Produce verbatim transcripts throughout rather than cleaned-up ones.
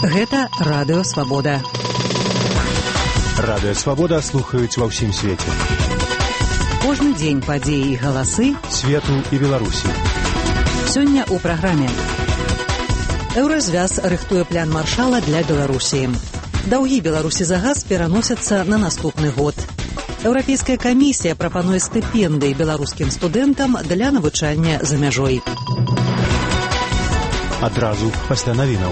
Гэта Радыё Свабода. Радыё Свабода слухаюць ва ўсім свеце. Кожны дзень падзеі і галасы свету і Беларусі. Сёння ў праграме. Еўразвяз рыхтуе план маршала для Беларусі. Даўгі Беларусі за газ пераносяцца на наступны год. Еўрапейская камісія прапануе стыпендыі беларускім студэнтам для навучання за мяжой. Адразу пасля навінаў.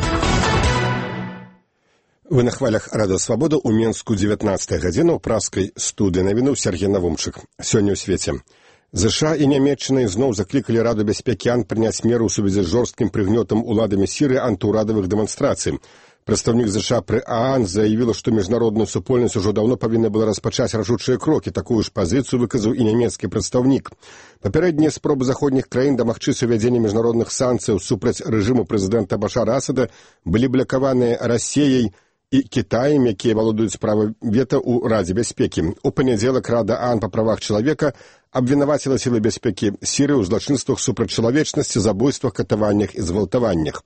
Вы на хвалях Радыё Свабода ў Менску дзевятнаццатая гадзіна ў праскай студыі навінаў Сергей Навумчык. Сёння ў свеце. ЗША і Нямецчына ізноў заклікалі Раду бяспекі АН прыняць меры ў сувязі з жорсткім прыгнётам уладамі Сірыі антыўрадавых дэманстрацый. Прадстаўнік ЗША пры ААН заявіла, што міжнародная супольнасць ужо даўно павінна была распачаць рашучыя крокі. Такую ж пазіцыю выказаў і нямецкі прадстаўнік. Папярэднія спробы заходніх краін дамагчыся ўвядзення міжнародных санкцыяў супраць рэжыму прэзідэнта Башара Асада былі блакаваныя Расіяй і Кітаем, якія валодаюць права вета ў Радзе бяспекі. У панядзелак Рада ААН па правах чалавека абвінаваціла сілы бяспекі Сірыі ў злачынствах супраць чалавечнасці, забойствах, катаваннях і згвалтаваннях.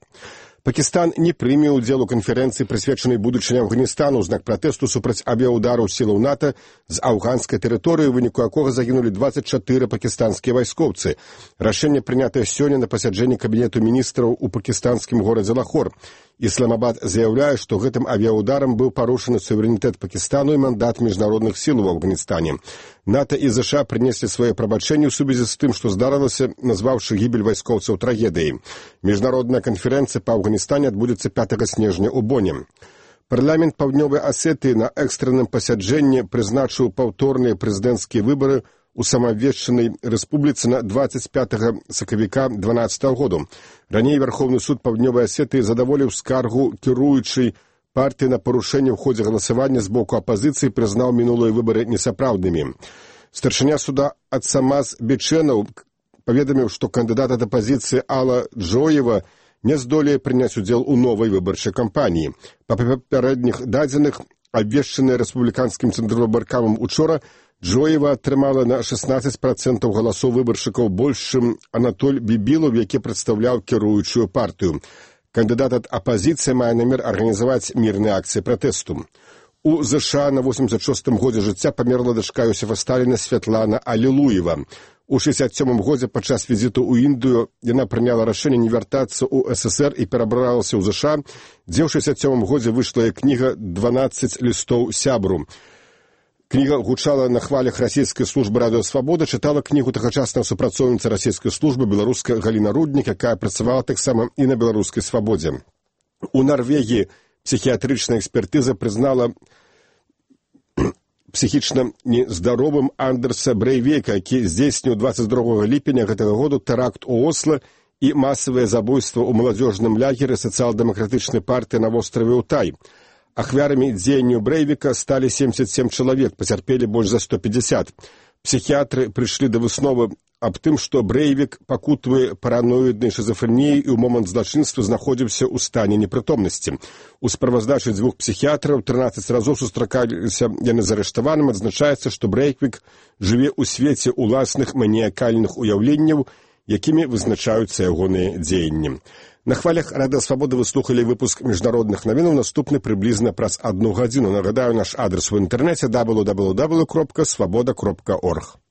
Пакістан не прыме ўдзел у канферэнцыі, прысвечанай будучыні Афганістана ў знак пратэсту супраць авіяўдараў сілаў НАТО з афганскай тэрыторыі, у выніку якога загінулі дваццаць чатыры пакістанскія вайскоўцы. Рашэнне прынятае сёння на пасяджэнні кабінету міністраў у пакістанскім горадзе Лахор. Ісламабад заяўляе, што гэтым авіяўдарам быў парушаны суверэнітэт Пакістану і мандат міжнародных сіл у Афганістане. НАТО і ЗША прынеслі свае прабачэнні ў сувязі з тым, што здарылася, назваўшы гібель вайскоўцаў трагедыяй. Міжнародная канферэнцыя па Афганістане адбудзецца пятага снежня ў Боне. Парламент Паўднёвай Асетыі на экстранным пасяджэнні прызначыў паўторныя прэзідэнцкія выбары у самаабвешчанай рэспубліцы на дваццаць пятага сакавіка дванаццатага году. Раней Верховны суд Паўднёвай Асетыі задаволіў скаргу кіруючай партыі на парушэнне ў ходзе галасавання з боку апазіцыі, прызнаў мінулыя выбары несапраўднымі. Старшыня суда Ацамаз Бечэнаў паведаміў, што кандыдат ад апазіцыі Алла Джоева не здолее прыняць удзел у новай выбарчай кампаніі. Па папярэдніх дадзеных, абвешчаныя рэспубліканскім цэнтрвыбаркамам учора, Джоева атрымала на шестнадцать процентаў галасоў выбаршчыкаў больш, чым Анатоль Бібілаў, які прадстаўляў кіруючую партыю. Кандыдат ад апазіцыі мае намер арганізаваць мірныя акцыі пратэсту. У ЗША на восемьдесят шостым годзе жыцця памерла дачка Йосіфа Сталіна Святлана Алілуева. У шэсцьдзесят сёмым годзе падчас візіту ў Індыю яна прыняла рашэнне не вяртацца ў СССР і перабралася ў ЗША, дзе ў шэсцьдесят сёмым годзе выйшла і кніга «дванаццаць лістоў сябру». Кніга гучала на хвалях расійскай службы Радыё Свабода, чытала кнігу тагачасная супрацоўніца расійскай службы беларуска Галіна Руднік, якая працавала таксама і на беларускай свабодзе. У Нарвегіі псіхіятрычная экспертыза прызнала псіхічна нездаровым Андерса Брейвека, які здзейсніў дваццаць другога ліпеня гэтага году тэракт у Осла і масавае забойства ў маладзёжным лагеры сацыял-дэмакратычнай партыі на востраве Утай. Ахвярамі дзеянняў Брейвека сталі семьдесят семь чалавек, пацярпелі больш за сто пятьдесят. Псіхіятры прыйшлі да высновы аб тым, што Брейвек пакутуе параноіднай шызафрэніяй і ў момант злачынства знаходзіўся ў стане непрытомнасці. У справаздачы дзвюх псіхіятраў трынаццаць разоў сустракаліся яны з арыштаваным, адзначаецца, што Брейвек жыве ў свеце ўласных маніякальных уяўленняў, якімі вызначаюцца ягоныя дзеянні. На хвалях Радыё Свабода вы слухалі выпуск міжнародных навінаў, наступны прыблізна праз адну гадзіну. Нагадаю, наш адрес у інтэрнэце дабл ю дабл ю дабл ю кропка свабода кропка орг.